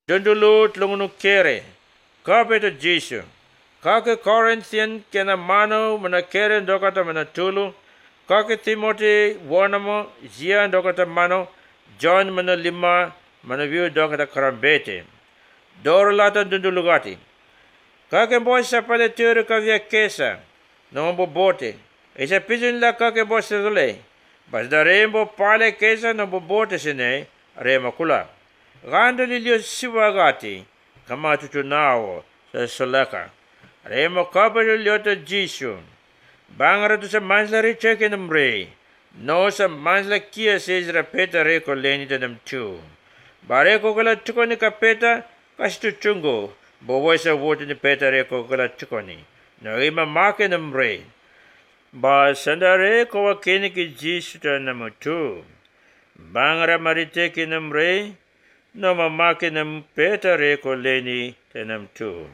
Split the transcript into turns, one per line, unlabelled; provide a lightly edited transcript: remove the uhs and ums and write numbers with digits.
Dundulut lungunu kere. Kapeta Jesu. Kake Corinthian kena mano mana kere dokata mana tulu. Kake Timothy wanamo zia dokata mano. John mana lima mana view dokata karambete. Doro lata dundulugati. Kake bosa pada teori kavia kesa. Nombo bote. Isa pizin la kake bosa dole. Bas da rembo pale kesa nombo bote sine rema kula. Gando lilio siwagati. Kama tutunao sa solaka. Remo kapal liota Jesu. Bangara tu sa mansla richeke namre. No sa mansla kia sezra peta reko leni tanam tu. Bareko kala tukoni kapeta kastu chungo. Boboy sa wote ni peta reko kala tukoni. Narima make namre. Ba sandare ko wakini ki Jesu tanam tu. Bangara mariteke namre. No mamake nam peta reko leni tanam tu.